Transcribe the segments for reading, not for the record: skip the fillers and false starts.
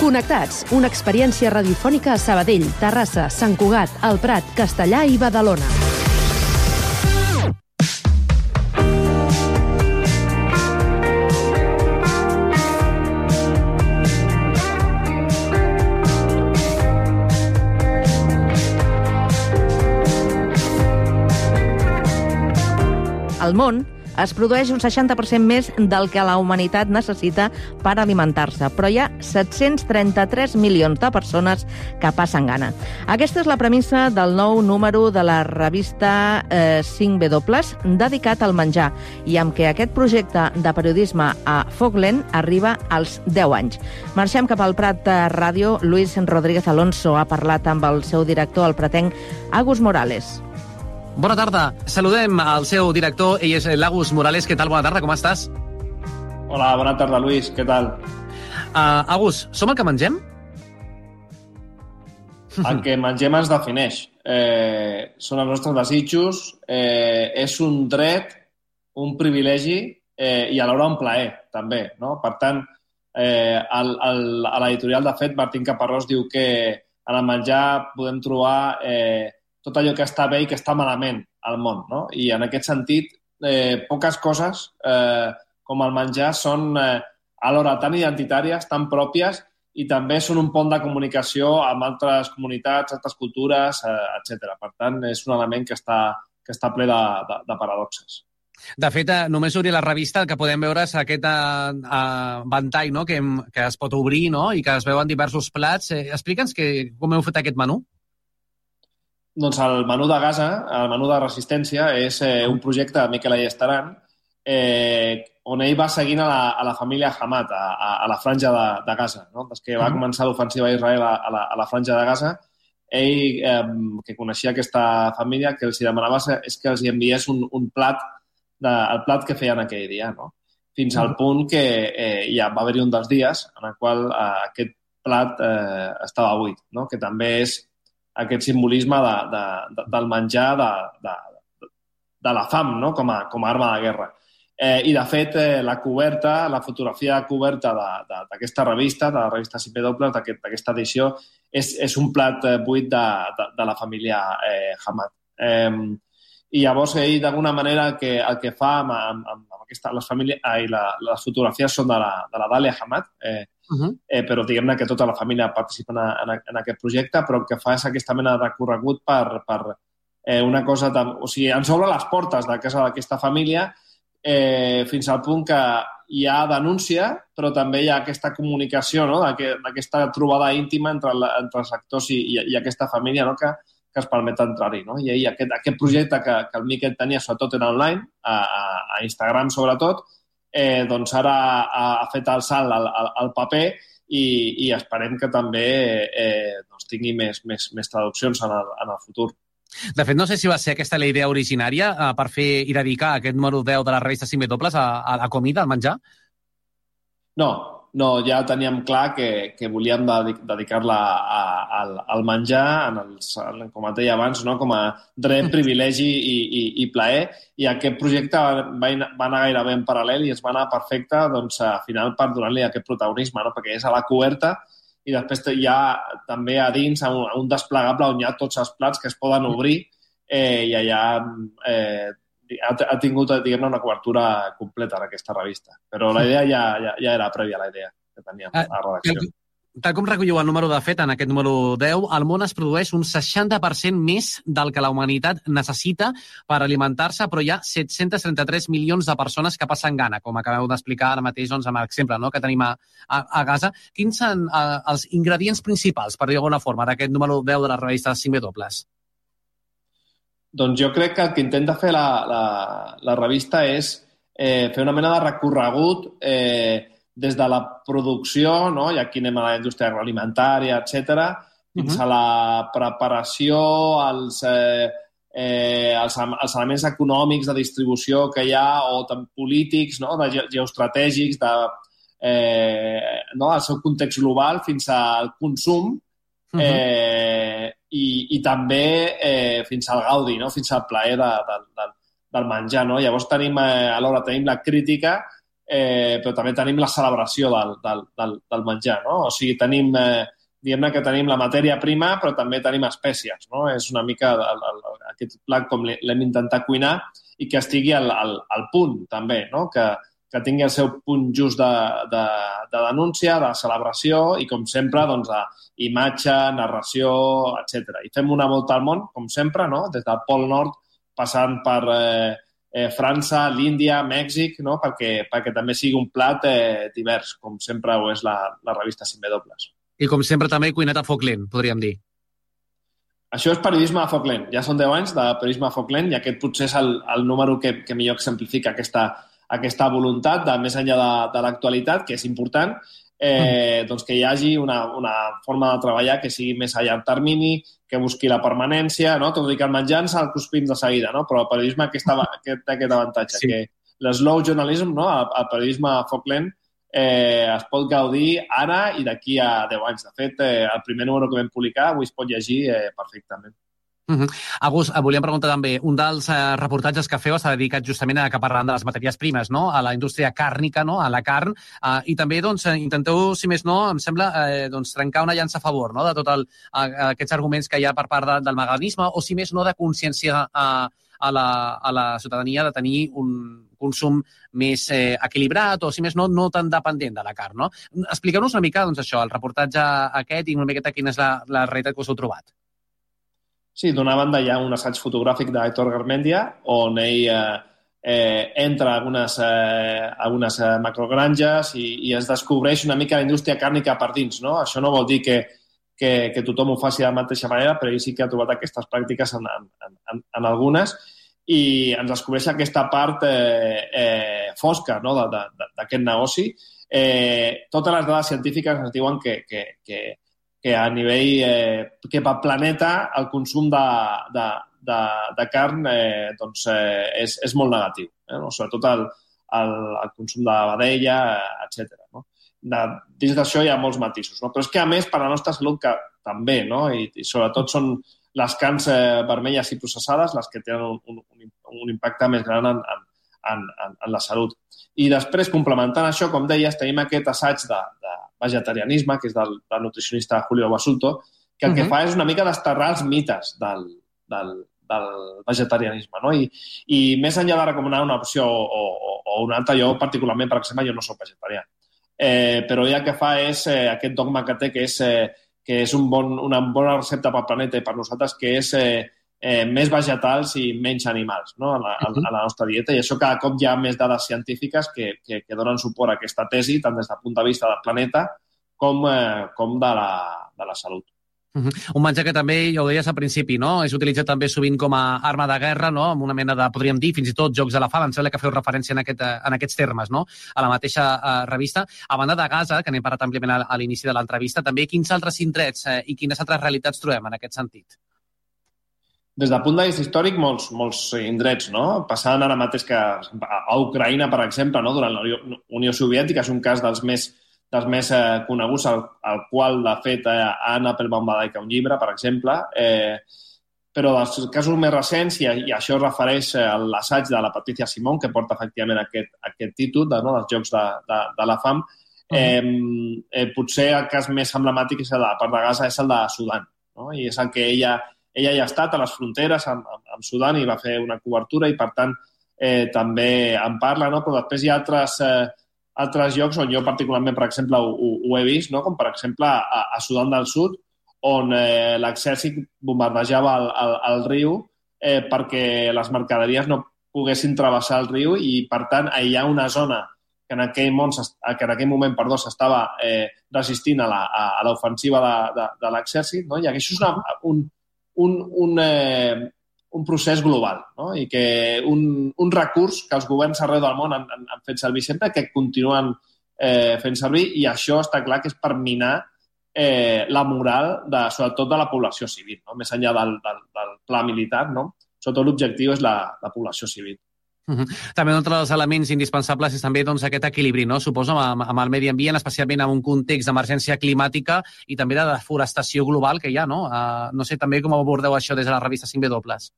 Connectats, una experiència radiofònica a Sabadell, Terrassa, Sant Cugat, El Prat, Castellà i Badalona. Al món es produeix un 60% més del que la humanitat necessita per alimentar-se, però hi ha 733 milions de persones que passen gana. Aquesta és la premissa del nou número de la revista 5W, dedicat al menjar, i amb què aquest projecte de periodisme a Foc-Lent arriba als 10 anys. Marxem cap al Prat de Ràdio. Luis Rodríguez Alonso ha parlat amb el seu director, el pratenc Agus Morales. Bona tarda. Saludem al seu director, ell és l'Agus Morales. Què tal? Bona tarda, com estàs? Hola, bona tarda, Luis. Què tal? Agus, som el que mengem? El que mengem ens defineix. Són els nostres desitjos, és un dret, un privilegi i alhora un plaer, també, no? Per tant, a l'editorial, de fet, Martín Caparrós diu que en el menjar podem trobar tot allò que està bé i que està malament al món, no? I en aquest sentit, poques coses com el menjar són alhora tan identitàries, tan pròpies, i també són un pont de comunicació amb altres comunitats, altres cultures, etc. Per tant, és un element que està ple de paradoxes. De fet, només obrir la revista el que podem veure és aquest ventall, no? que es pot obrir, no? I que es veuen diversos plats. Explica'ns com heu fet aquest menú. Doncs el menú de Gaza, el menú de resistència, és un projecte de Miquel Ayestaran on ell va seguint a la família Hamad, a la franja de Gaza. No? Des que va començar l'ofensiva d'Israel a la franja de Gaza, ell, que coneixia aquesta família, que els demanava és que els enviés un plat, el plat que feien aquell dia, no? Fins al punt que ja va haver-hi un dels dies en el qual aquest plat estava buit, no? Que també és aquest simbolisme del menjar, de la fam, no? com a arma de guerra. I, de fet, la fotografia de coberta d'aquesta revista, de la revista 5W, d'aquesta edició, és un plat buit de la família Hamad. I llavors ell, d'alguna manera, el que fa amb les fotografies són de la Dàlia Hamad, però diguem-ne que tota la família participa en aquest projecte, però el que fa és aquesta mena de recorregut per una cosa... O sigui, ens obre les portes de casa d'aquesta família fins al punt que hi ha denúncia, però també hi ha aquesta comunicació, no? D'aquesta trobada íntima entre els actors i aquesta família, no? que es permet entrar-hi. No? I aquest projecte que el Miquel tenia, sobretot en online, a Instagram sobretot, doncs ara ha fet el salt al paper i esperem que també tingui més traduccions en el futur. De fet, no sé si va ser aquesta la idea originària per fer i dedicar aquest número 10 de la revista 5W a la comida, al menjar? No, ja teníem clar que volíem dedicar-la al menjar, com et deia abans, no? Com a dret, privilegi i plaer, i aquest projecte va anar gairebé en paral·lel i es va anar perfecte, doncs, al final, per donar-li aquest protagonisme, no? Perquè és a la coberta i després hi ha també a dins un desplegable on hi ha tots els plats que es poden obrir i allà ha tingut, diguem-ne, una cobertura completa en aquesta revista. Però la idea ja era prèvia a la idea que teníem a la redacció. Tal com recolliu el número de fet, en aquest número 10, al món es produeix un 60% més del que la humanitat necessita per alimentar-se, però hi ha 733 milions de persones que passen gana, com acabeu d'explicar ara mateix amb l'exemple que tenim a Gaza. Quins són els ingredients principals, per dir-ho d'alguna forma, d'aquest número 10 de la revista 5W? Doncs jo crec que el que intenta fer la revista és fer una mena de recorregut des de la producció, no? I aquí anem a la indústria agroalimentària, etc., fins a la preparació, els elements econòmics de distribució que hi ha, o polítics, no? Geoestratègics, del seu context global, fins al consum, i també fins al gaudi, no? Fins al plaer del menjar. No? Llavors alhora tenim la crítica però també tenim la celebració del menjar, no? O sigui, tenim, diguem-ne que tenim la matèria prima, però també tenim espècies, no? És una mica aquest plat com l'hem intentat cuinar i que estigui al punt, també, no? Que tingui el seu punt just de denúncia, de celebració i, com sempre, doncs, imatge, narració, etc. I fem una volta al món, com sempre, no? Des del Pol Nord, passant per França, l'Índia, Mèxic, no? perquè també sigui un plat divers, com sempre ho és la revista 5W. I, com sempre, també cuinat a foc lent, podríem dir. Això és periodisme a foc lent. Ja són 10 anys de periodisme a foc lent i aquest potser és el número que millor exemplifica aquesta voluntat de més enllà de l'actualitat, que és important, doncs que hi hagi una forma de treballar que sigui més a llarg termini, que busqui la permanència, no? Tot i que el menjar ens el cruspim de seguida, no? Però el periodisme aquest avantatge, sí. Que l'eslow journalism, no? El periodisme a foc lent, es pot gaudir ara i d'aquí a 10 anys. De fet, el primer número que vam publicar avui es pot llegir perfectament. August, volíem preguntar també, un dels reportatges que feu està dedicat justament a que parlant de les matèries primes, no? A la indústria càrnica, no? A la carn, i també doncs, intenteu, si més no, em sembla, doncs, trencar una llança a favor, no? De tots aquests arguments que hi ha per part del veganisme, o si més no, de consciència a la ciutadania de tenir un consum més equilibrat o, si més no, no tan dependent de la carn, no? Expliqueu-nos una mica, doncs, això, el reportatge aquest i una miqueta quina és la realitat que us heu trobat. Sí, d'una banda hi ha un assaig fotogràfic d'Aitor Garmendia on ell entra a algunes macrogranges i es descobreix una mica la indústria càrnica per dins, no? Això no vol dir que tothom ho faci de la mateixa manera, però ell sí que ha trobat aquestes pràctiques en algunes i ens descobreix aquesta part fosca, no? D'aquest negoci. Totes les dades científiques ens diuen que a nivell que pel planeta el consum de carn doncs, és molt negatiu, no? Sobretot el consum de vedella, etc. No? Dins d'això hi ha molts matisos, no? Però és que, a més, per a la nostra salut que també, no? I sobretot són les carns vermelles i processades les que tenen un impacte més gran en la salut. I després, complementant això, com deies, tenim aquest assaig de vegetarianisme, que és del nutricionista Julio Basulto, que el que fa és una mica desterrar els mites del vegetarianisme, no? I més enllà de recomanar una opció o una altra, jo particularment, per exemple, jo no soc vegetarià. Però ell el que fa és aquest dogma que té, que és una bona recepta pel planeta i per nosaltres, que és més vegetals i menys animals, no? a la nostra dieta. I això cada cop hi ha més dades científiques que donen suport a aquesta tesi, tant des del punt de vista del planeta com de la salut. Un menjar que també, ja ho deies al principi, no? És utilitzat també sovint com a arma de guerra, no? Amb una mena de, podríem dir, fins i tot jocs de la fam. Em sembla que feu referència en aquests termes, no? A la mateixa revista. A banda de Gaza, que n'hem parlat àmpliament a l'inici de l'entrevista, també quins altres indrets i quines altres realitats trobem en aquest sentit? Des del punt de vista històric, molts indrets, no? Passant ara mateix que a Ucraïna, per exemple, no? Durant la Unió Soviètica, és un cas dels més coneguts, al qual, de fet, Anna Applebaum va dedicar un llibre, per exemple, però dels casos més recents, i això es refereix a l'assaig de la Patricia Simon, que porta efectivament aquest títol, no? dels Jocs de la Fam, potser el cas més emblemàtic és el de la part de Gaza, és el de Sudan, no? I és el que ella ja ha estat a les fronteres amb Sudan i va fer una cobertura i, per tant, també en parla, no? Però després hi ha altres llocs on jo particularment, per exemple, ho he vist, no? Com per exemple a Sudan del Sud, on l'exèrcit bombardejava el riu perquè les mercaderies no poguessin travessar el riu i, per tant, hi ha una zona que en aquell moment s'estava resistint a l'ofensiva de l'exèrcit, no? I això és un procés global, no? I que un recurs que els governs arreu del món han fet servir sempre, que continuen fent servir, i això està clar que és per minar la moral, sobretot de la població civil, no? Més enllà del pla militar, no? Sobretot l'objectiu és la població civil. També un dels elements indispensables és també doncs, aquest equilibri, no? Suposo, amb el medi ambient, especialment en un context d'emergència climàtica i també de deforestació global que hi ha, no? No sé també com abordeu això des de la revista 5W.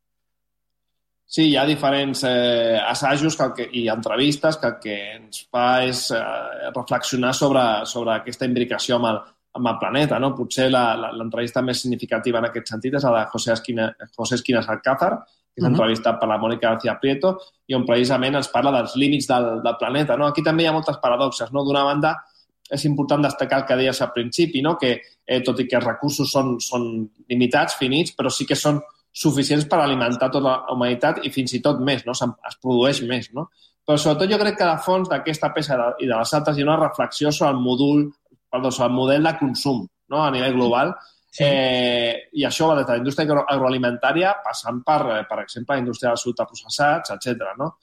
Sí, hi ha diferents assajos i entrevistes que el que ens fa és reflexionar sobre aquesta imbricació amb el planeta. No? Potser l'entrevista més significativa en aquest sentit és la de José Esquinas Alcázar, que és entrevistat per la Mónica García Prieto, i on precisament ens parla dels límits del planeta. No? Aquí també hi ha moltes paradoxes. No? D'una banda, és important destacar el que deies al principi, no? Que tot i que els recursos són limitats, finits, però sí que són suficients per alimentar tota la humanitat i fins i tot més, no? Es produeix més, no? Però sobretot jo crec que a fons d'aquesta peça i de les altres hi ha una reflexió sobre el model de consum, no? A nivell global. Sí. I això va des de la indústria agroalimentària passant per exemple, la indústria dels ultraprocessats, etc. No?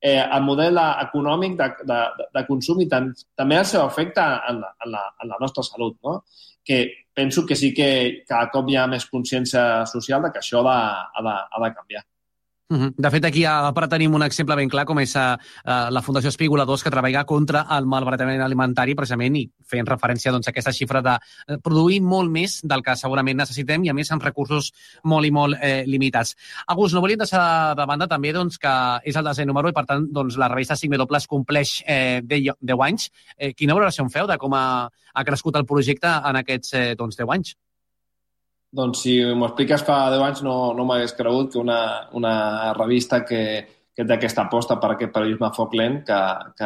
El model econòmic de consum i també el seu efecte en la nostra salut, no? Que penso que sí que cada cop hi ha més consciència social de que això ha de canviar. De fet, aquí a Prat tenim un exemple ben clar, com és la Fundació Espigoladors, que treballa contra el malbaratament alimentari, precisament, i fent referència a aquesta xifra de produir molt més del que segurament necessitem i, a més, amb recursos molt i molt limitats. August, no volíem deixar de banda també que és el 10è número i, per tant, la revista 5W compleix 10 anys. Quina valoració en feu de com ha crescut el projecte en aquests 10 anys? Doncs si m'ho expliques fa 10 anys no m'hagués cregut que una revista que té aquesta aposta per aquest periodisme a foc lent que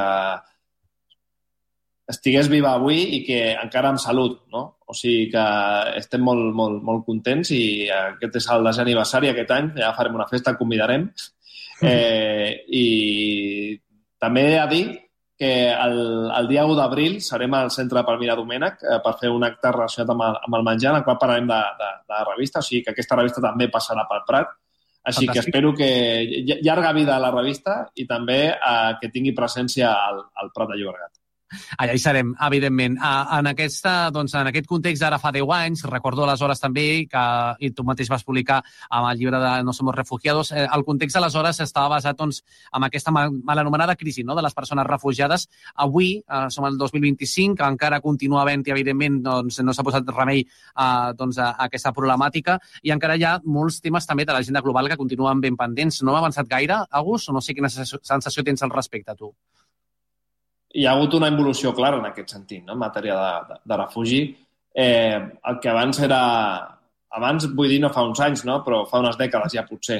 estigués viva avui i que encara amb salut, no? O sigui que estem molt, molt, molt contents i aquest és el 10è aniversari aquest any, ja farem una festa, convidarem. I també he de dir que el dia 1 d'abril serem al Centre de Palmira Domènech per fer un acte relacionat amb el menjar, en el qual parlarem de la revista, o sigui que aquesta revista també passarà pel Prat. Així Fantàstic. Que espero que llarga vida a la revista i també que tingui presència al Prat de Llobregat. Allà hi serem, evidentment. En aquest context d'ara fa 10 anys, recordo aleshores també que i tu mateix vas publicar amb el llibre de No somos refugiados, el context aleshores estava basat en aquesta mal anomenada crisi, no?, de les persones refugiades. Avui som al 2025, que encara continua havent-hi, evidentment, no s'ha posat remei a aquesta problemàtica i encara hi ha molts temes també de l'agenda global que continuen ben pendents. No ha avançat gaire, August, o no sé quina sensació tens al respecte, tu? Hi ha hagut una involució clara en aquest sentit, no? En matèria de refugi. El que abans era... Abans, vull dir, no fa uns anys, no? Però fa unes dècades ja potser.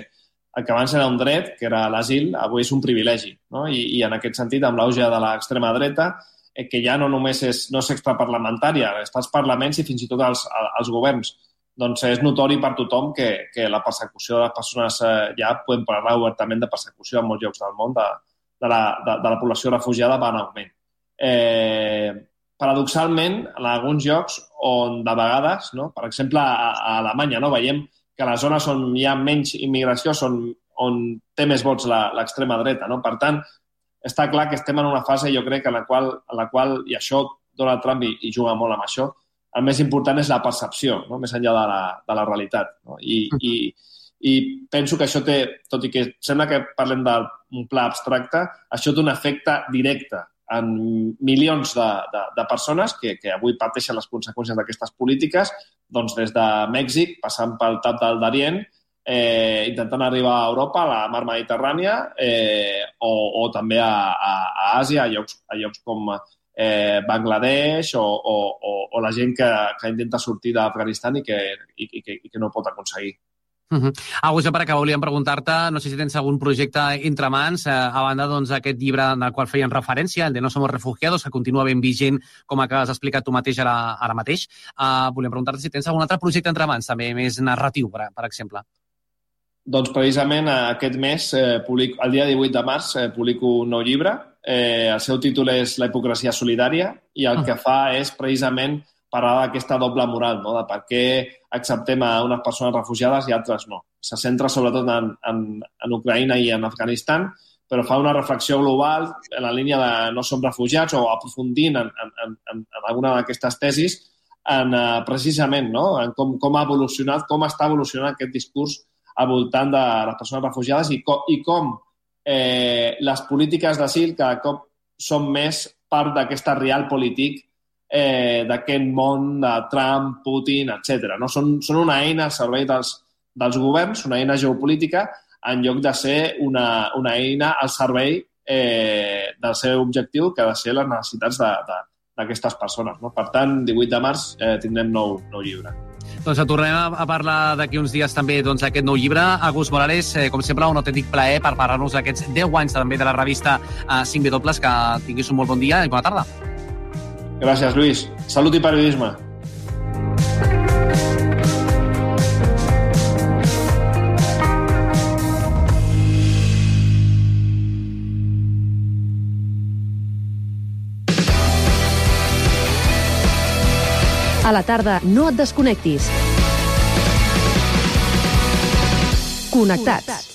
El que abans era un dret, que era l'asil, avui és un privilegi, no? I en aquest sentit, amb l'auge de l'extrema dreta, que ja no només no és extraparlamentària, està als parlaments i fins i tot als governs. Doncs és notori per tothom que la persecució de les persones, ja podem parlar obertament de persecució en molts llocs del món, de la població refugiada va en augment. Paradoxalment, en alguns llocs on de vegades, no? Per exemple, a Alemanya, no? Veiem que les zones on hi ha menys immigració són on té més vots l'extrema dreta. No? Per tant, està clar que estem en una fase, jo crec, en la qual i això Donald Trump hi juga molt amb això, el més important és la percepció, no? Més enllà de la realitat. No? I penso que això té, tot i que sembla que parlem d'un pla abstracte, això té un efecte directe en milions de persones que avui pateixen les conseqüències d'aquestes polítiques, doncs des de Mèxic, passant pel Tap del Darién, intentant arribar a Europa, a la mar Mediterrània, o també a Àsia, a llocs com Bangladesh o la gent que intenta sortir d'Afganistan i que no pot aconseguir. August, per acabar, volíem preguntar-te, no sé si tens algun projecte entre mans, a banda d'aquest llibre en el qual feien referència, el de No somos refugiados, que continua ben vigent, com has explicat tu mateix ara mateix. Volíem preguntar-te si tens algun altre projecte entre mans, també més narratiu, per exemple. Doncs precisament aquest mes, el dia 18 de març, publico un nou llibre. El seu títol és La hipocresia solidària i el que fa és precisament parlar d'aquesta doble moral, no? De per què acceptem a unes persones refugiades i altres no. Se centra sobretot en Ucraïna i en Afganistan, però fa una reflexió global en la línia de no som refugiats o aprofundint en alguna d'aquestes tesis precisament, no? En com ha evolucionat, com està evolucionant aquest discurs al voltant de les persones refugiades i com les polítiques d'asil cada cop són més part d'aquesta realpolitik d'aquest món de Trump, Putin, etc. No? Són una eina al servei dels governs, una eina geopolítica en lloc de ser una eina al servei del seu objectiu, que ha de ser les necessitats d'aquestes persones. No? Per tant, 18 de març tindrem nou llibre. Doncs tornem a parlar d'aquí uns dies també d'aquest nou llibre. Agus Morales, com sempre, un autèntic plaer per parlar-nos d'aquests 10 anys també de la revista 5W, que tinguis un molt bon dia i bona tarda. Gràcies, Lluís. Salut i periodisme. A la tarda, no et desconnectis. Connectats.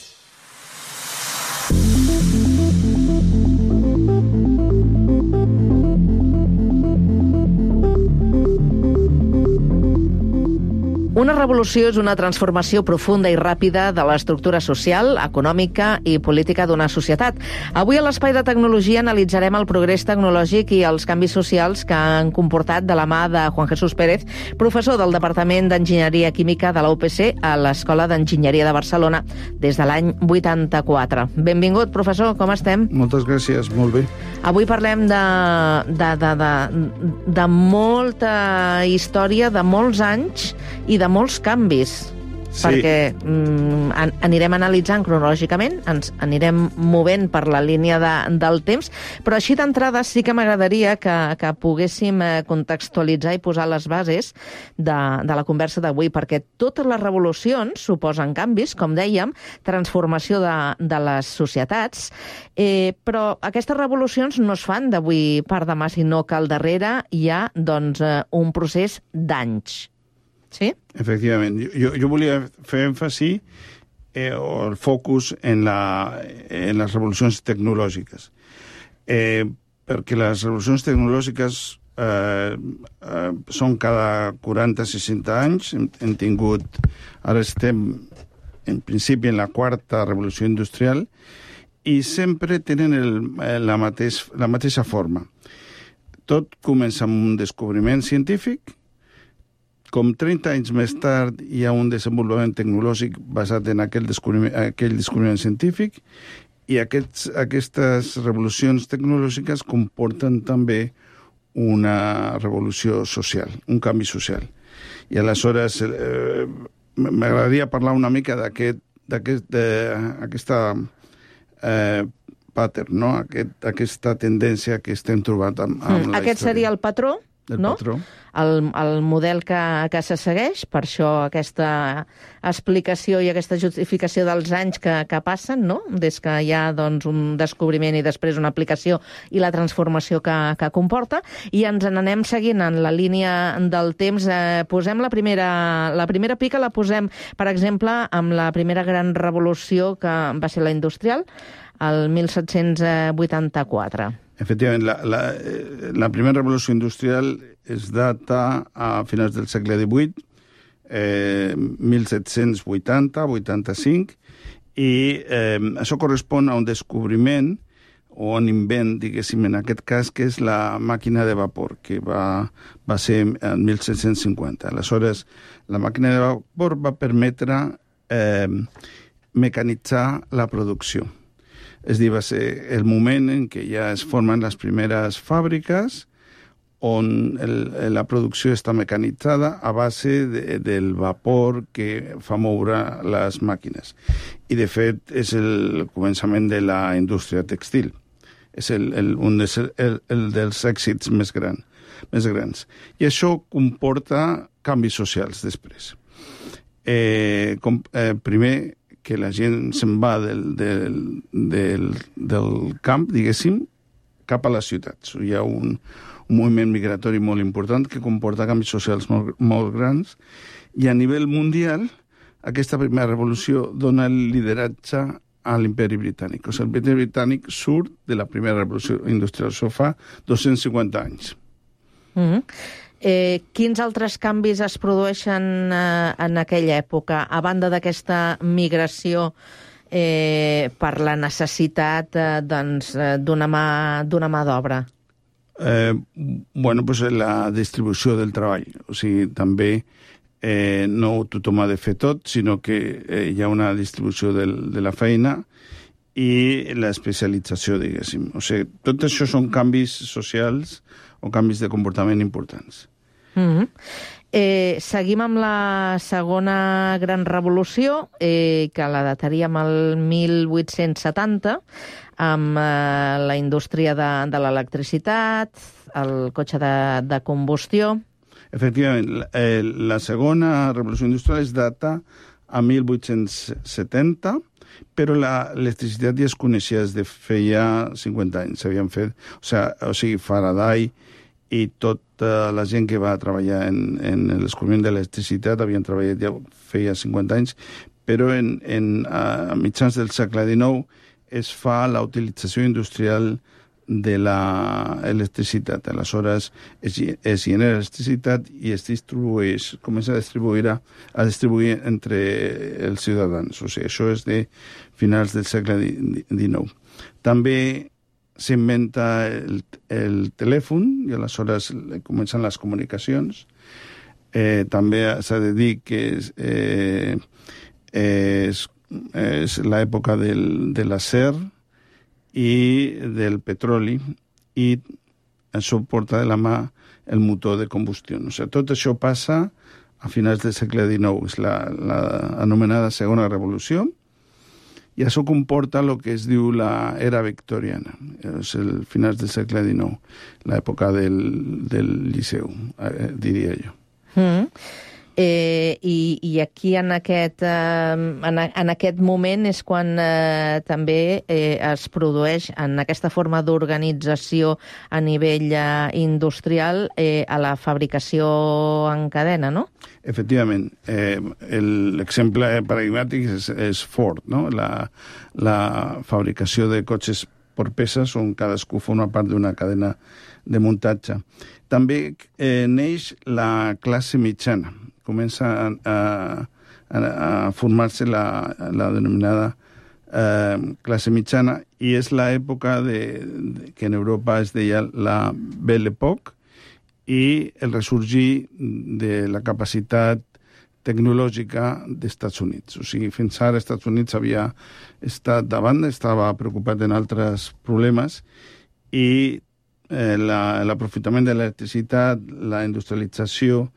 Una revolució és una transformació profunda i ràpida de l'estructura social, econòmica i política d'una societat. Avui a l'Espai de Tecnologia analitzarem el progrés tecnològic i els canvis socials que han comportat de la mà de Juan Jesús Pérez, professor del Departament d'Enginyeria Química de la UPC a l'Escola d'Enginyeria de Barcelona des de l'any 84. Benvingut, professor, com estem? Moltes gràcies, molt bé. Avui parlem de molta història, de molts anys i de molts canvis, sí. Perquè anirem analitzant cronològicament, ens anirem movent per la línia del temps, però així d'entrada sí que m'agradaria que poguéssim contextualitzar i posar les bases de la conversa d'avui, perquè totes les revolucions suposen canvis, com dèiem, transformació de les societats, però aquestes revolucions no es fan d'avui per demà, sinó que al darrere hi ha un procés d'anys. Sí? Efectivament. Jo volia fer èmfasi o el focus en les revolucions tecnològiques. Perquè les revolucions tecnològiques són cada 40-60 anys. Hem tingut... Ara estem, en principi, en la quarta revolució industrial i sempre tenen la mateixa forma. Tot comença amb un descobriment científic. Com 30 anys més tard hi ha un desenvolupament tecnològic basat en aquell descobriment científic i aquestes revolucions tecnològiques comporten també una revolució social, un canvi social. I aleshores m'agradaria parlar una mica d'aquesta pattern, no? Aquesta tendència que estem trobant amb la història. Aquest seria el patró? No? El model que se segueix, per això aquesta explicació i aquesta justificació dels anys que passen, no? Des que hi ha un descobriment i després una aplicació i la transformació que comporta, i ens n'anem seguint en la línia del temps. Posem la primera pica, la posem, per exemple, amb la primera gran revolució que va ser la industrial, el 1784. Efectivament, la primera revolució industrial es data a finals del segle XVIII, 1780-85, i això correspon a un descobriment o un invent, diguéssim, en aquest cas, que és la màquina de vapor, que va ser en 1750. Aleshores, la màquina de vapor va permetre mecanitzar la producció. És a dir, va ser el moment en què ja es formen les primeres fàbriques on la producció està mecanitzada a base del vapor que fa moure les màquines. I, de fet, és el començament de la indústria textil. És un dels èxits més grans. I això comporta canvis socials després. Primer, que la gent se'n va del camp, diguéssim, cap a les ciutats. Hi ha un moviment migratori molt important que comporta canvis socials molt grans, i a nivell mundial aquesta primera revolució dona el lideratge a l'imperi britànic. O sigui, l'imperi britànic surt de la primera revolució industrial. Això fa 250 anys. Quins altres canvis es produeixen en aquella època, a banda d'aquesta migració per la necessitat d'una mà d'obra? La distribució del treball. O sigui, també no tothom ha de fer tot, sinó que hi ha una distribució de la feina i l'especialització, diguéssim. O sigui, tot això són canvis socials o canvis de comportament importants. Seguim amb la segona gran revolució, que la dataríem al 1870, amb la indústria de l'electricitat, el cotxe de combustió. Efectivament, la segona revolució industrial es data a 1870, però l'electricitat ja es coneixia des de feia 50 anys. S'havien fet, o sigui, Faraday i tota la gent que va treballar en el descobriment de l'electricitat havien treballat ja feia 50 anys, però a mitjans del segle XIX es fa la utilització industrial de l'electricitat. Aleshores, es genera electricitat i es distribueix, comença a distribuir entre els ciutadans. O sigui, això és de finals del segle XIX. També s'inventa el telèfon i aleshores comencen les comunicacions. També s'ha de dir que és l'època de l'acer i del petroli, i això porta de la mà el motor de combustió. O sigui, tot això passa a finals del segle XIX, és l'anomenada segona revolució, i això comporta el que es diu l'era victoriana, és el finals del segle XIX, l'època del Liceu, diria jo. I aquí en aquest moment és quan també es produeix en aquesta forma d'organització a nivell industrial a la fabricació en cadena, no? Efectivament. L'exemple paradigmàtic és Ford, no? La fabricació de cotxes per peces on cadascú forma part d'una cadena de muntatge. També neix la classe mitjana. Comença a formar-se la denominada classe mitjana, i és l'època que en Europa es deia la Belle Époque, i el ressorgir de la capacitat tecnològica dels Estats Units. O sigui, fins ara els Estats Units havia estat davant, estava preocupat en altres problemes, i l'aprofitament de l'electricitat, la industrialització,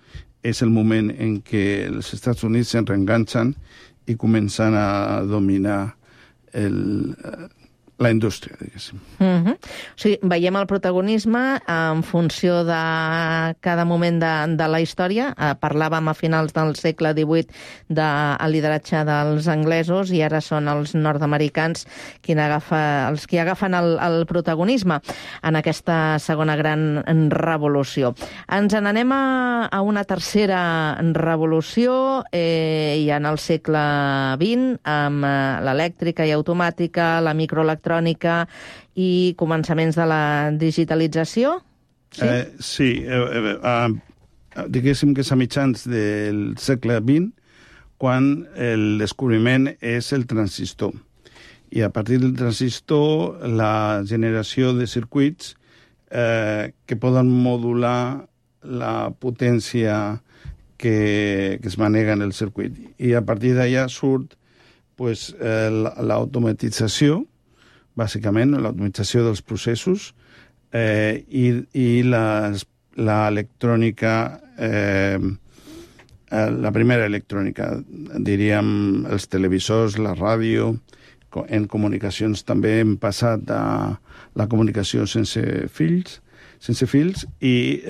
és el moment en què els Estats Units se'n reenganxen i comencen a dominar la indústria, diguéssim. O sigui, veiem el protagonisme en funció de cada moment de la història. Parlàvem a finals del segle XVIII del lideratge dels anglesos, i ara són els nord-americans els qui agafen el protagonisme en aquesta segona gran revolució. Ens n'anem a una tercera revolució, i en el segle XX, amb l'elèctrica i automàtica, la microelectrònica i començaments de la digitalització? Sí, diguéssim que és a mitjans del segle XX quan el descobriment és el transistor. I a partir del transistor, la generació de circuits que poden modular la potència que es manega en el circuit. I a partir d'allà surt l'automatització, bàsicament, l'automatització dels processos, i l'electrònica, la primera electrònica, diríem els televisors, la ràdio. En comunicacions també hem passat a la comunicació sense fils, i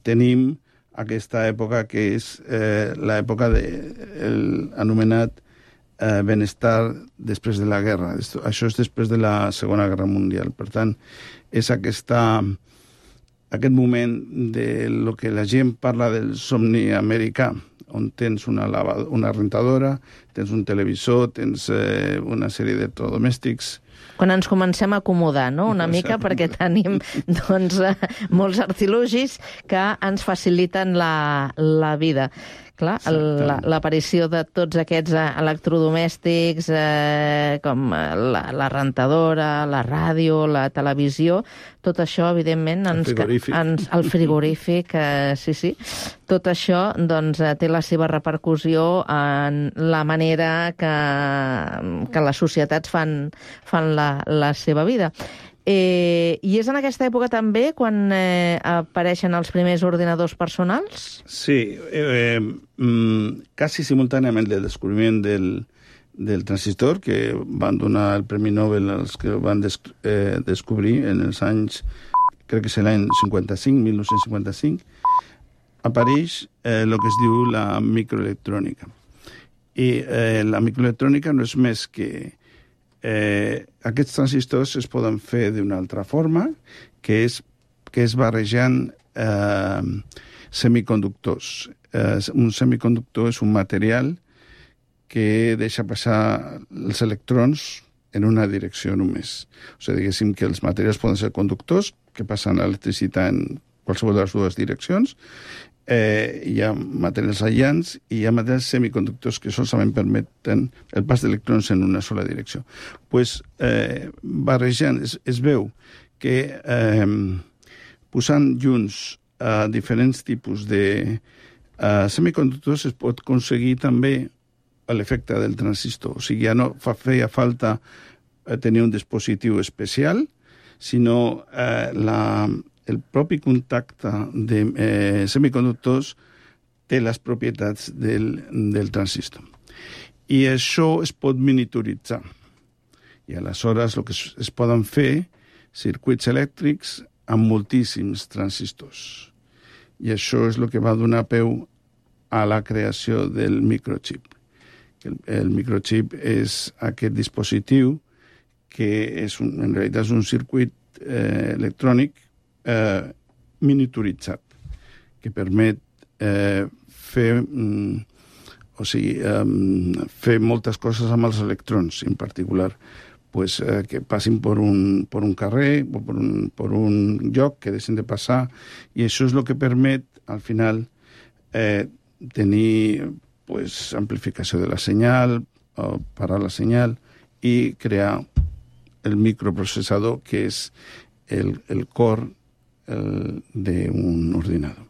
tenim aquesta època que és l'època anomenat benestar després de la guerra. Això és després de la Segona Guerra Mundial. Per tant, és aquest moment de lo que la gent parla del somni americà, on tens una rentadora, tens un televisor, tens una sèrie d'electrodomèstics, Quan ens comencem a acomodar, no?, una mica, perquè tenim doncs, molts artilugis que ens faciliten la vida. Clar, l'aparició de tots aquests electrodomèstics, com la rentadora, la ràdio, la televisió, tot això, evidentment... El frigorífic, sí. Tot això doncs, té la seva repercussió en la manera que les societats fan la seva vida. I és en aquesta època també quan apareixen els primers ordinadors personals? Sí, quasi simultàniament del descobriment del transistor, que van donar el Premi Nobel als que van descobrir en els anys, crec que és l'any 1955, apareix el que es diu la microelectrònica. I la microelectrònica no és més que aquests transistors es poden fer d'una altra forma, que és barrejant semiconductors. Un semiconductor és un material que deixa passar els electrons en una direcció només. O sigui, diguéssim que els materials poden ser conductors que passen l'electricitat en qualsevol de les dues direccions. Hi ha materials aïllants i hi ha materials semiconductors que solament permeten el pas d'electrons en una sola direcció. Pues, barrejant, es veu que posant junts diferents tipus de semiconductors es pot aconseguir també l'efecte del transistor. O sigui, ja no feia falta tenir un dispositiu especial, sinó el propi contacte de semiconductors té les propietats del transistor. I això es pot miniaturitzar. I aleshores el que es poden fer circuits elèctrics amb moltíssims transistors. I això és el que va donar peu a la creació del microchip. El microchip és aquest dispositiu que en realitat és un circuit electrònic miniaturitzat, que permet fer moltes coses amb els electrons, en particular que passin per un carrer o per un lloc que deixen de passar, i això és el que permet, al final, tenir amplificació de la senyal, parar la senyal i crear el microprocessador, que és el cor d'un ordinador.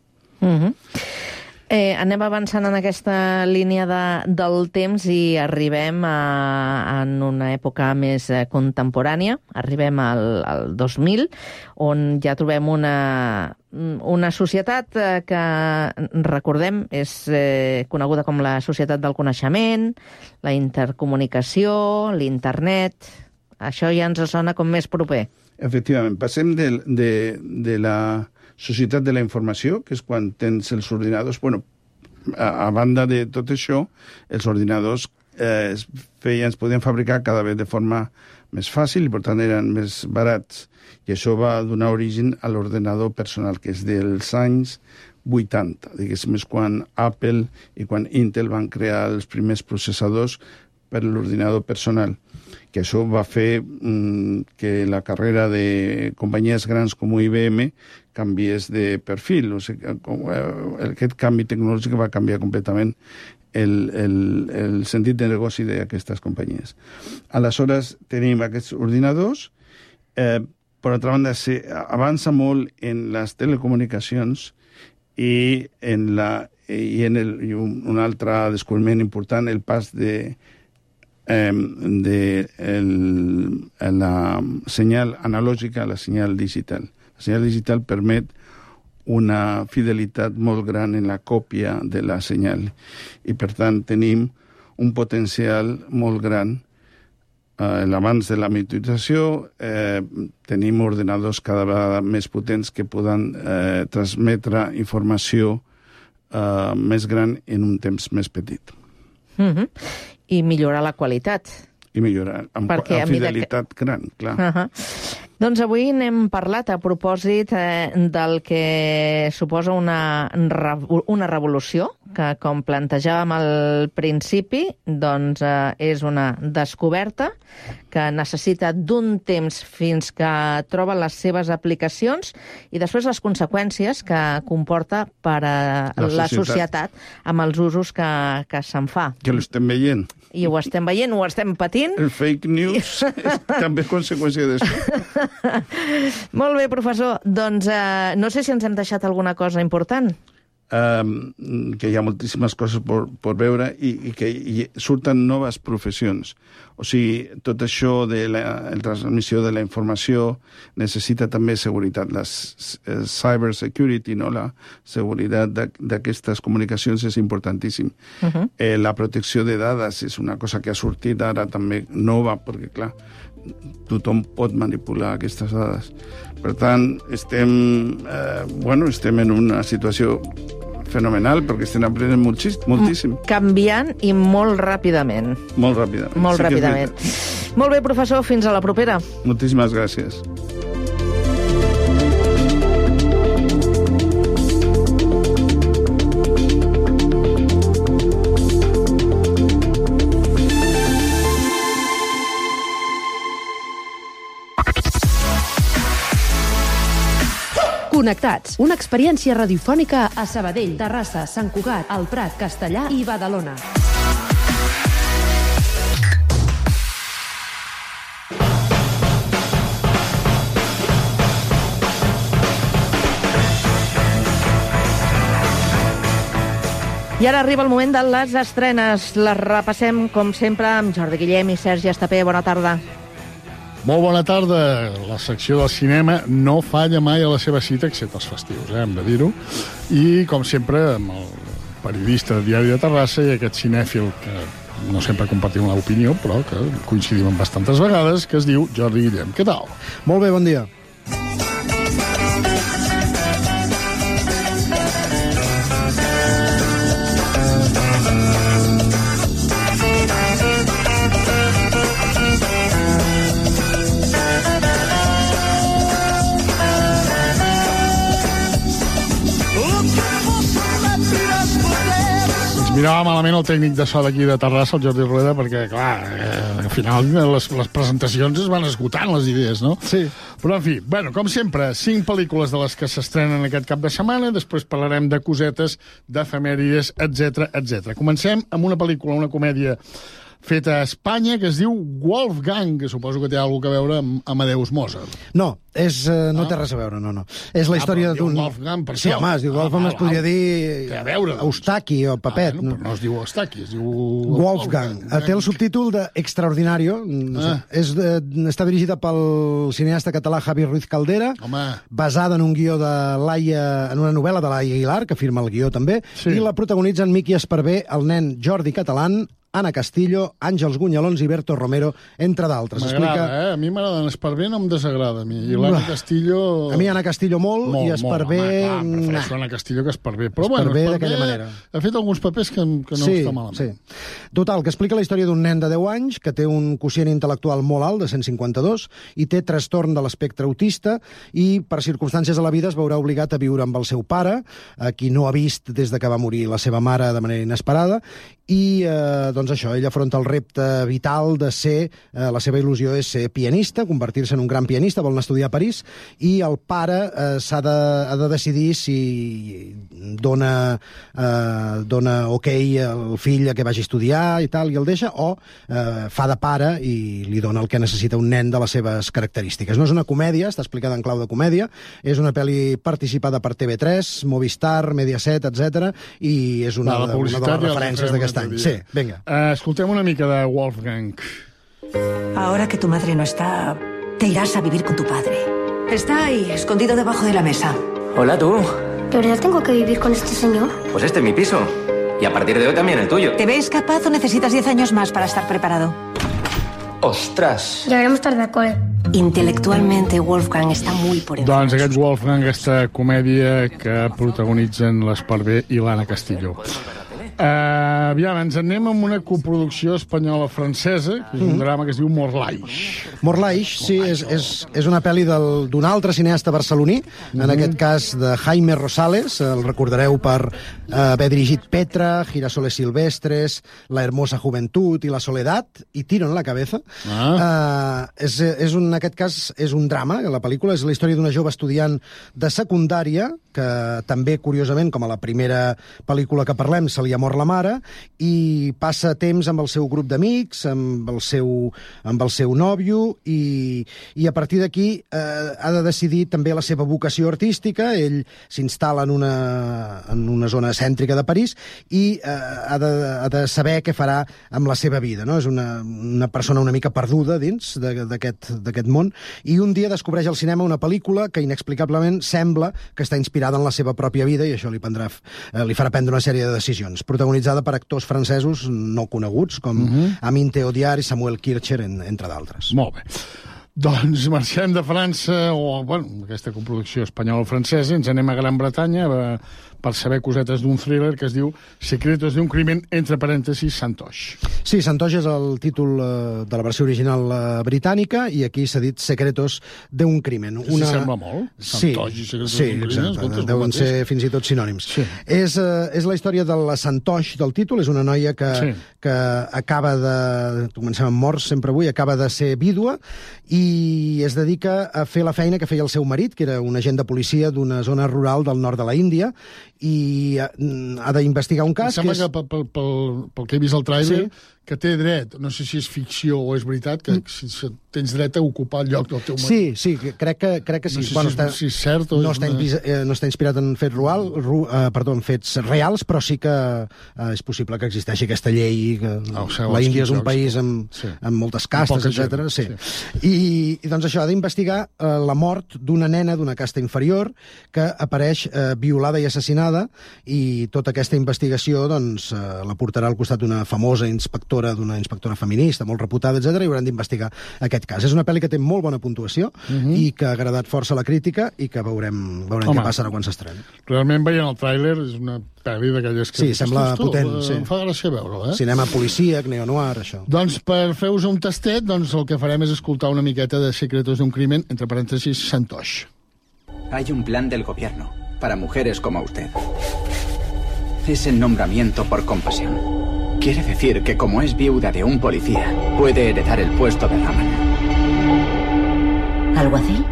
Anem avançant en aquesta línia del temps i arribem en una època més contemporània, arribem al 2000, on ja trobem una societat que, recordem, és coneguda com la societat del coneixement, la intercomunicació, l'internet. Això ja ens sona com més proper. Efectivament, passem de la societat de la informació, que és quan tens els ordinadors. Bueno, a banda de tot això, els ordinadors es podien fabricar cada vegada de forma més fàcil i, per tant, eren més barats. I això va donar origen a l'ordenador personal, que és dels anys 80. Diguéssim, és quan Apple i quan Intel van crear els primers processadors per a l'ordinador personal, que això va fer que la carrera de companyies grans com IBM canviés de perfil. O sigui, aquest canvi tecnològic va canviar completament el sentit de negoci d'aquestes companyies. Aleshores, tenim aquests ordinadors. Per altra banda, avança molt en les telecomunicacions i un altre descobriment important, el pas de la senyal analògica a la senyal digital. La senyal digital permet una fidelitat molt gran en la còpia de la senyal i, per tant, tenim un potencial molt gran. Abans de la miniaturització tenim ordenadors cada vegada més potents que poden transmetre informació més gran en un temps més petit. I millorar la qualitat. I millorar, amb fidelitat gran, clar. Doncs avui n'hem parlat a propòsit del que suposa una revolució, que, com plantejàvem al principi, doncs és una descoberta que necessita d'un temps fins que troba les seves aplicacions i després les conseqüències que comporta per a la societat amb els usos que se'n fa. Que l'estem veient. I ho estem veient, ho estem patint. El fake news és també conseqüència d'això. Molt bé, professor. Doncs no sé si ens hem deixat alguna cosa important. Que hi ha moltíssimes coses per veure i que surten noves professions. O sigui, tot això de la transmissió de la informació necessita també seguretat. La cyber security, no? La seguretat d'aquestes comunicacions és importantíssim. La protecció de dades és una cosa que ha sortit ara també nova, perquè, clar, tothom pot manipular aquestes dades. Per tant, estem en una situació fenomenal, perquè estem aprenent moltíssim. Canviant i molt ràpidament. Molt ràpidament. Molt ràpidament. Molt bé, professor, fins a la propera. Moltíssimes gràcies. Connectats, una experiència radiofònica a Sabadell, Terrassa, Sant Cugat, El Prat, Castellar i Badalona. I ara arriba el moment de les estrenes. Les repassem, com sempre, amb Jordi Guillem i Sergi Estapé. Bona tarda. Molt bona tarda. La secció del cinema no falla mai a la seva cita, excepte els festius, hem de dir-ho. I, com sempre, amb el periodista de Diari de Terrassa i aquest cinèfil que no sempre compartim l'opinió, però que coincidim bastantes vegades, que es diu Jordi Guillem. Què tal? Molt bé, bon dia. Mirava malament el tècnic de so d'aquí de Terrassa, el Jordi Rueda, perquè, clar, al final les presentacions es van esgotant, les idees, no? Sí. Però, en fi, bueno, com sempre, 5 pel·lícules de les que s'estrenen aquest cap de setmana, després parlarem de cosetes, d'efemèrides, etc. Comencem amb una pel·lícula, una comèdia feta a Espanya, que es diu Wolfgang, que suposo que té alguna cosa a veure amb Amadeus Mozart. No, no té res a veure, no. És la història d'un... Wolfgang, per sí, home, es diu Wolfgang, es podria dir... Té a veure. Eustaqui o Papet. Però no es diu Eustaqui, es diu... Wolfgang. Té el subtítol de Extraordinario. Està dirigida pel cineasta català Javi Ruiz Caldera, basada en un guió de Laia, en una novel·la de Laia Aguilar, que firma el guió també, i la protagonitzen Miqui Esparvé, el nen Jordi Catalán, Anna Castillo, Àngels Gunyalons i Berto Romero, entre d'altres. M'agrada, A mi m'agrada. Esparvé no em desagrada, a mi. I l'Anna Castillo... A mi Anna Castillo molt i Esparvé... Prefereixo Anna Castillo que Esparvé. Però Esparvé d'aquella manera. Ha fet alguns papers que no està malament. Sí. Total, que explica la història d'un nen de 10 anys que té un quocient intel·lectual molt alt, de 152, i té trastorn de l'espectre autista, i per circumstàncies de la vida es veurà obligat a viure amb el seu pare, a qui no ha vist des de que va morir la seva mare de manera inesperada, i doncs això, ell afronta el repte vital de ser, la seva il·lusió és ser pianista, convertir-se en un gran pianista, vol anar a estudiar a París, i el pare ha de decidir si dona ok al fill a que vagi a estudiar i tal, i el deixa, o fa de pare i li dona el que necessita un nen de les seves característiques. No és una comèdia, està explicada en clau de comèdia, és una pel·li participada per TV3, Movistar, Mediaset, etc. i és una de les referències d'aquest any. Sí, vinga. Escoltem una mica de Wolfgang. Ahora que tu madre no está, te irás a vivir con tu padre. Está ahí, escondido debajo de la mesa. Hola, tú. ¿De verdad tengo que vivir con este señor? Pues este es mi piso. Y a partir de hoy también el tuyo. ¿Te ves capaz o necesitas 10 años más para estar preparado? ¡Ostras! Llegaremos tarde al cole. Intelectualmente, Wolfgang està molt por encima. Doncs aquest Wolfgang, aquesta comèdia que protagonitzen l'Esparvé i l'Anna Castillo. Aviam, ens anem amb una coproducció espanyola-francesa, que és un drama que es diu Morlaix. Morlaix, sí, és una pel·li d'un altre cineasta barceloní, en aquest cas de Jaime Rosales, el recordareu per haver dirigit Petra, Girasoles Silvestres, La hermosa juventud i La soledat, i Tiro en la cabeza. En aquest cas és un drama, la pel·lícula és la història d'una jove estudiant de secundària, que també, curiosament, com a la primera pel·lícula que parlem, se li ha mort la mare, i passa temps amb el seu grup d'amics, amb el seu nòvio, i a partir d'aquí ha de decidir també la seva vocació artística. Ell s'instal·la en una zona cèntrica de París i ha de saber què farà amb la seva vida, no? És una persona una mica perduda dins d'aquest món, i un dia descobreix al cinema una pel·lícula que inexplicablement sembla que està inspirada en la seva pròpia vida, i això li farà prendre una sèrie de decisions. Protagonitzada per actors francesos no coneguts, com Amin Théodyard i Samuel Kircher, entre d'altres. Molt bé. Doncs marxem de França, aquesta coproducció espanyola-francesa, ens anem a Gran Bretanya per saber cosetes d'un thriller que es diu Secretos de un crimen, entre parèntesis, Santosh. Sí, Santosh és el títol de la versió original britànica, i aquí s'ha dit Secretos de un crimen. Sí, sembla molt. Santosh i Secretos d'un crimen. Sí, exacte, deuen ser fins i tot sinònims. Sí. És la història de la Santosh del títol, és una noia que acaba de... Comencem amb morts sempre avui, acaba de ser vídua, i es dedica a fer la feina que feia el seu marit, que era un agent de policia d'una zona rural del nord de la Índia, i ha d'investigar un cas... Em sembla que pel que he vist al tràiler, que té dret, no sé si és ficció o és veritat, que tens dret a ocupar el lloc del teu marit. Sí, crec que sí. No sé si és cert o... No està inspirat en fets fets reals, però sí que és possible que existeixi aquesta llei. La Índia és un país amb moltes castes, etc. Sí. I doncs això, ha d'investigar la mort d'una nena d'una casta inferior que apareix violada i assassinada, i tota aquesta investigació la portarà al costat d'una famosa d'una inspectora feminista molt reputada, etc., i hauran d'investigar aquest cas. És una pel·li que té molt bona puntuació i que ha agradat força a la crítica, i que veurem què passarà quan s'estreni. Realment, veient el tràiler, és una pel·li d'aquelles que... Sí, sembla potent. Em fa gràcia veure-ho, Cinema policíac, neo-noir, això. Doncs per fer-vos un tastet, el que farem és escoltar una miqueta de Secretos de un crimen, entre parèntesis, Santosh. Hay un plan del gobierno para mujeres como usted. Es el nombramiento por compasión. Quiere decir que como es viuda de un policía, puede heredar el puesto de Raman. ¿Alguacil?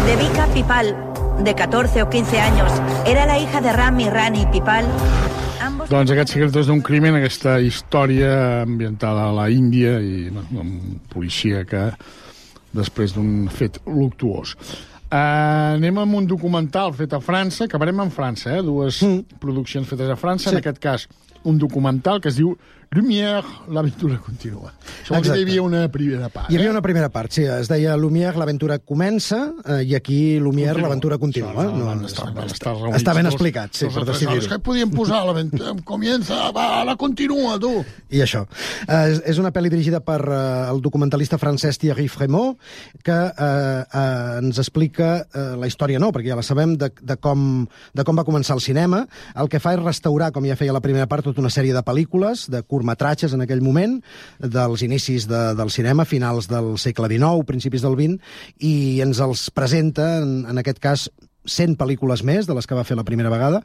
Devika Pipal, de 14 o 15 años, era la hija de Ram y Rani Pipal. Doncs aquests Secretos d'un crimen, aquesta història ambientada a la Índia i amb policia que després d'un fet luctuós. Anem amb un documental fet a França, acabarem en França, dues produccions fetes a França, en aquest cas un documental que es diu Lumière, l'aventura continua. Això vol dir que hi havia una primera part. Hi havia una primera part, sí. Es deia Lumière, l'aventura comença, i aquí Lumière, l'aventura continua. Està ben explicat, sí, per decidir-ho. És que podíem posar l'aventura comença, la continua, tu. I això. És una pel·li dirigida per el documentalista francès Thierry Frémaux, que ens explica la història, no, perquè ja la sabem, de com va començar el cinema. El que fa és restaurar, com ja feia la primera part, tota una sèrie de pel·lícules, de curtmetratges en aquell moment, dels inicis del cinema, finals del segle XIX, principis del XX, i ens els presenta, en aquest cas, 100 pel·lícules més de les que va fer la primera vegada,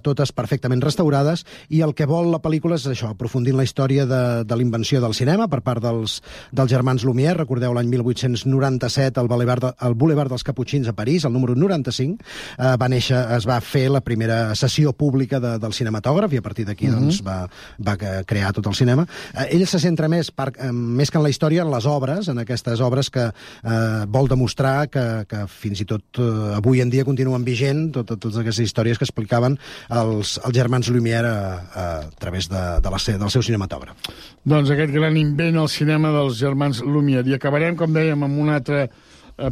totes perfectament restaurades, i el que vol la pel·lícula és això, aprofundir en la història de l'invenció del cinema per part dels germans Lumière. Recordeu l'any 1897 al Boulevard dels Caputxins a París, el número 95, es va fer la primera sessió pública del cinematògraf, i a partir d'aquí va crear tot el cinema. Ell se centra més que en la història, en les obres, en aquestes obres que vol demostrar que fins i tot avui en dia continuen vigent totes aquestes històries que explicaven els germans Lumière a través del seu cinematògraf. Doncs aquest gran invent al cinema dels germans Lumière. I acabarem, com dèiem, amb una altra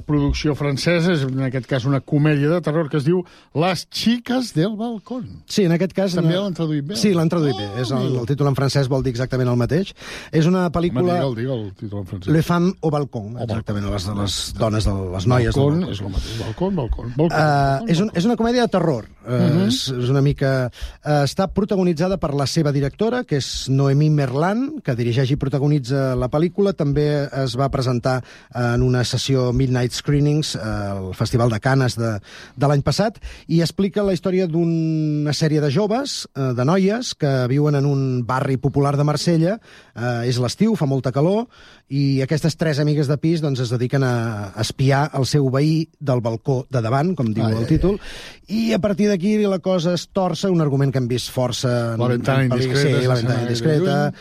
producció francesa, és en aquest cas una comèdia de terror que es diu Las chicas del balcón. Sí, en aquest cas... També l'han traduït bé? Sí, l'han traduït bé. El títol en francès vol dir exactament el mateix. És una pel·lícula... Digue el títol en francès. Les femmes au balcón, exactament, les dones, les noies del balcó. És el mateix, balcón. És una comèdia de terror. És una mica... Està protagonitzada per la seva directora, que és Noémie Merlan, que dirigeix i protagonitza la pel·lícula. També es va presentar en una sessió Midnight Screenings al Festival de Canes de l'any passat, i explica la història d'una sèrie de joves, de noies, que viuen en un barri popular de Marsella. És l'estiu, fa molta calor, i aquestes 3 amigues de pis doncs, es dediquen a espiar el seu veí del balcó de davant, com diu el títol, i a partir d'aquí la cosa es torça, un argument que hem vist força... La ventana indiscreta. Sí, La ventana indiscreta,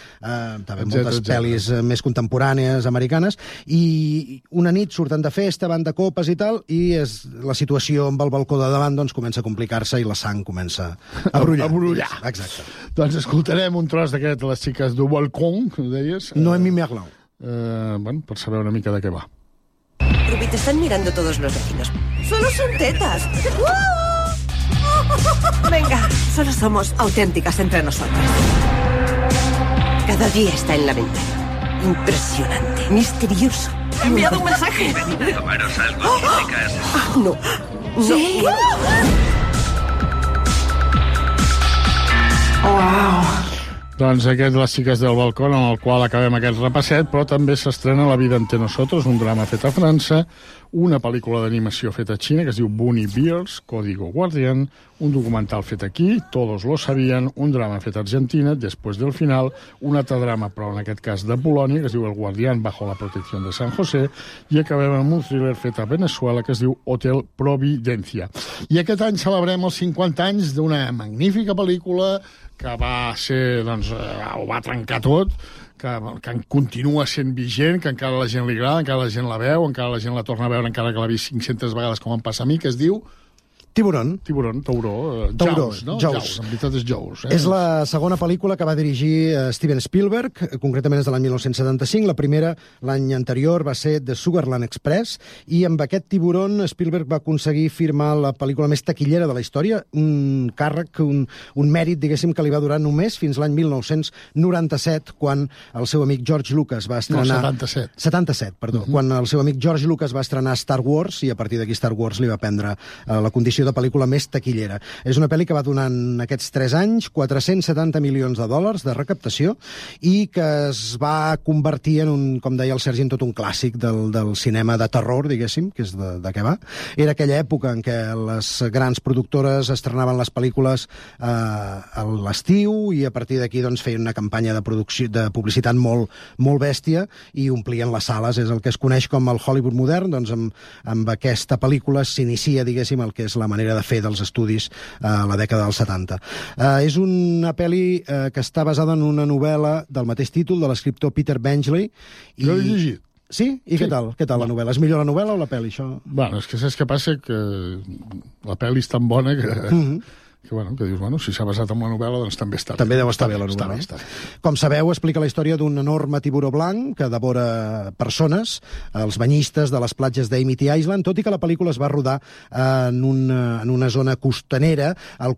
també moltes pel·lis més contemporànies, americanes, i una nit surten de festa, van de copes i tal, i la situació amb el balcó de davant doncs, comença a complicar-se i la sang comença a brollar. Exacte. Doncs escoltarem un tros d'aquest, les xiques du balcón, que deies. Noémie Merlan. Bueno, per saber una mica de què va. Ruby, te están mirando todos los vecinos. Solo son tetas. Venga, solo somos auténticas entre nosotras. Cada día está en la ventana. Impresionante, misterioso. He enviado un mensaje. Tomaros algo, chicas. No. Sí. Wow. Doncs aquest, Les xiques del balcó, amb el qual acabem aquest repasset, però també s'estrena La vida entre nosotros, un drama fet a França, una pel·lícula d'animació feta a Xina, que es diu Bunny Bears, Código Guardián, un documental fet aquí, Todos lo sabían, un drama fet a Argentina, Después del final, un altre drama, però en aquest cas de Polònia, que es diu El guardián bajo la protección de San José, i acabem amb un thriller fet a Venezuela, que es diu Hotel Providencia. I aquest any celebrem els 50 anys d'una magnífica pel·lícula que va ser, doncs, ho va trencar tot, que continua sent vigent, que encara la gent li agrada, encara la gent la veu, encara la gent la torna a veure, encara que l'ha vist 500 vegades, com em passa a mi, que es diu... Tiburón. Tauró, Jaws, no? Jaws, en veritat és Jaws. És la segona pel·lícula que va dirigir Steven Spielberg, concretament és de l'any 1975. La primera, l'any anterior, va ser The Sugarland Express, i amb aquest Tiburón Spielberg va aconseguir firmar la pel·lícula més taquillera de la història, un càrrec, un mèrit, diguéssim, que li va durar només fins l'any 1997, quan el seu amic George Lucas va estrenar... No, 77. 77, perdó. Quan el seu amic George Lucas va estrenar Star Wars, i a partir d'aquí Star Wars li va prendre la condició de pel·lícula més taquillera. És una pel·li que va donar en aquests 3 anys $470 milions de recaptació, i que es va convertir en un, com deia el Sergi, en tot un clàssic del cinema de terror, diguéssim, que és de què va. Era aquella època en què les grans productores estrenaven les pel·lícules a l'estiu, i a partir d'aquí doncs, feien una campanya de publicitat molt bèstia i omplien les sales. És el que es coneix com el Hollywood modern. Doncs amb aquesta pel·lícula s'inicia, diguéssim, el que és la manera de fer dels estudis a la dècada dels 70. És una pel·li que està basada en una novel·la del mateix títol, de l'escriptor Peter Benchley. Jo l'he llegit. Sí? I què tal? Què tal la novel·la? És millor la novel·la o la pel·li, això? Bueno, és que saps què passa? Que la pel·li és tan bona que... que dius, bueno, si s'ha basat en la novel·la, doncs també està bé. També deu estar bé la novel·la. Està bé. Com sabeu, explica la història d'un enorme tiburó blanc que devora persones, els banyistes de les platges d'Amity Island, tot i que la pel·lícula es va rodar en una zona costanera, a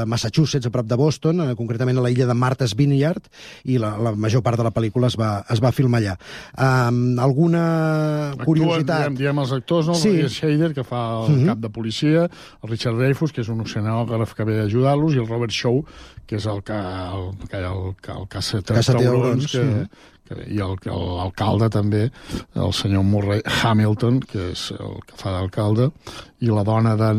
Massachusetts, a prop de Boston, concretament a la illa de Martha's Vineyard, i la major part de la pel·lícula es va filmar allà. Alguna curiositat... Diem els actors, no? Sí. El Shader, que fa el cap de policia, el Richard Dreyfuss, que és un oceanògraf que ve ajudar-los, i el Robert Shaw, que és el caça-taurons, i l'alcalde també, el senyor Murray Hamilton, que és el que fa d'alcalde, i la dona del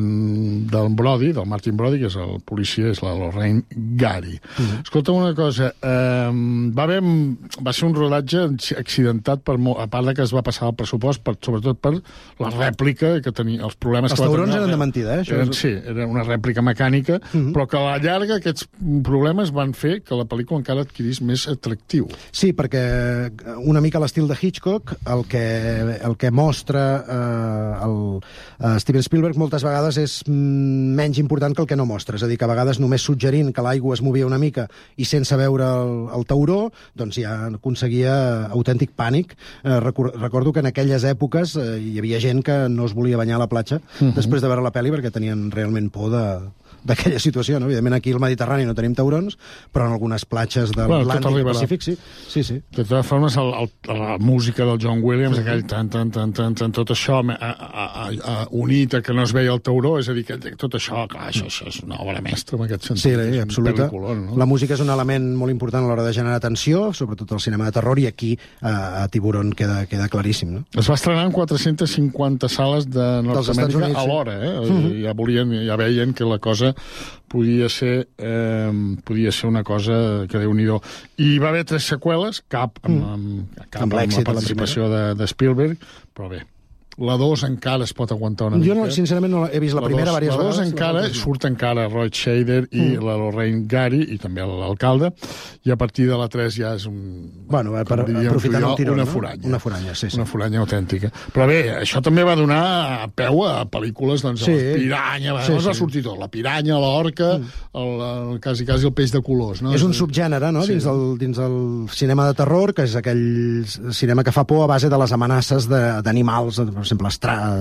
Brody, del Martin Brody, que és el policia, és la Lorraine Gary. Escolta una cosa, va ser un rodatge accidentat, a part de que es va passar el pressupost, sobretot per la rèplica que tenia, els problemes que va tenir. Els taurons eren de mentida, eh? Sí, era una rèplica mecànica, però que a la llarga aquests problemes van fer que la pel·lícula encara adquirís més atractiu. Sí, perquè una mica a l'estil de Hitchcock, el que mostra Steven Spielberg moltes vegades és menys important que el que no mostra. És a dir, que a vegades només suggerint que l'aigua es movia una mica i sense veure el tauró, doncs ja aconseguia autèntic pànic. Recordo que en aquelles èpoques hi havia gent que no es volia banyar a la platja després de veure la pel·li perquè tenien realment por d'aquella situació, no? Evidentment aquí al Mediterrani no tenim taurons, però en algunes platges de l'Atlàntic i Pacífic sí. De totes formes, la música del John Williams, aquell tot això unit a que no es veia el tauró, és a dir, que tot això, clar, això és una obra mestra en aquest sentit. Sí, absoluta. No? La música és un element molt important a l'hora de generar tensió, sobretot al cinema de terror, i aquí a Tiburón queda claríssim, no? Es va estrenar en 450 sales de Nord-Amèrica alhora, ja veien que la cosa podia ser una cosa que Déu-n'hi-do. I va haver 3 seqüeles, cap amb la participació de Spielberg, però bé, la 2 encara es pot aguantar una mica. Jo, sincerament, no he vist la primera diverses vegades. La 2 encara, surt encara Roy Scheider i la Lorraine Gary, i també l'alcalde, i a partir de la 3 ja és aprofitant el tiró, una foranya. Una foranya, sí. Una foranya autèntica. Però bé, això també va donar peu a pel·lícules, doncs, la piranya, va sortir tot, la piranya, l'orca, quasi el peix de colors, no? És un subgènere, no?, dins el cinema de terror, que és aquell cinema que fa por a base de les amenaces d'animals, per exemple,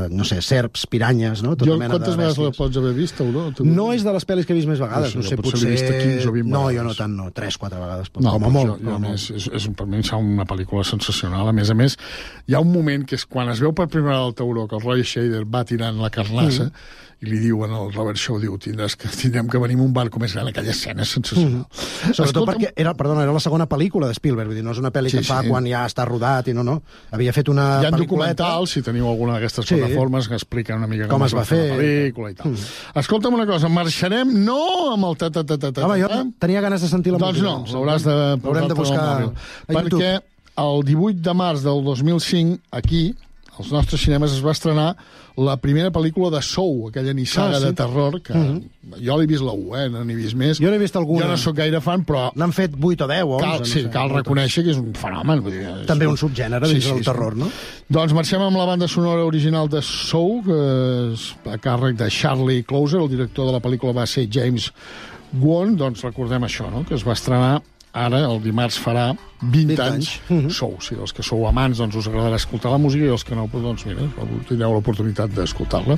no sé, serps, piranyes, no? Quantes vegades la pots haver vist, o no? No és de les pel·lis que he vist més vegades, no sé, potser... l'he vist 15 o 20 vegades. No, jo no tant, no, 3-4 vegades, com a molt. Per mi és una pel·lícula sensacional. A més, hi ha un moment que és quan es veu per primera vegada el tauró, que el Roy Scheider va tirant la carnassa, i li diuen al Robert Shaw, tindrem que venir amb un barco més gran. Aquella escena és sensacional. Sobretot perquè era la segona pel·lícula de Spielberg, vull dir, no és una pel·li que fa quan ja està rodat i no. Havia fet una pel·lículeta. Hi ha documentals, si teniu alguna d'aquestes plataformes, que expliquen una mica com es va fer la pel·lícula i tal. Escolta'm una cosa, marxarem no amb el ta-ta-ta-ta-ta. Home, jo tenia ganes de sentir la música. Doncs no, l'haurem de buscar al mòbil. Perquè el 18 de març del 2005, aquí, als nostres cinemes, es va estrenar la primera pel·lícula de Saw, aquella nissaga de terror, que jo l'he vist la 1, no n'he vist més. Jo n'he vist alguna. Jo no sóc gaire fan, però... N'han fet 8 o 10, 11. Sí, cal reconèixer que és un fenomen. També un subgènere dins del terror, no? Doncs marxem amb la banda sonora original de Saw, que és a càrrec de Charlie Clouser, el director de la pel·lícula va ser James Wan. Doncs recordem això, no?, que es va estrenar ara, el dimarts farà 20 anys. Sou, si els que sou amants, doncs us agradarà escoltar la música, i els que no, doncs mira, tindreu l'oportunitat d'escoltar-la.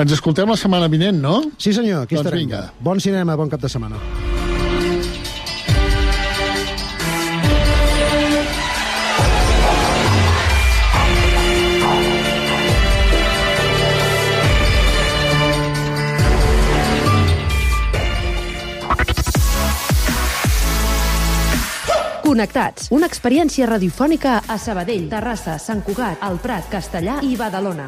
Ens escoltem la setmana vinent, no? Sí, senyor, aquí estarem. Vinga. Bon cinema, bon cap de setmana. Connectats, una experiència radiofònica a Sabadell, Terrassa, Sant Cugat, el Prat, Castellar i Badalona.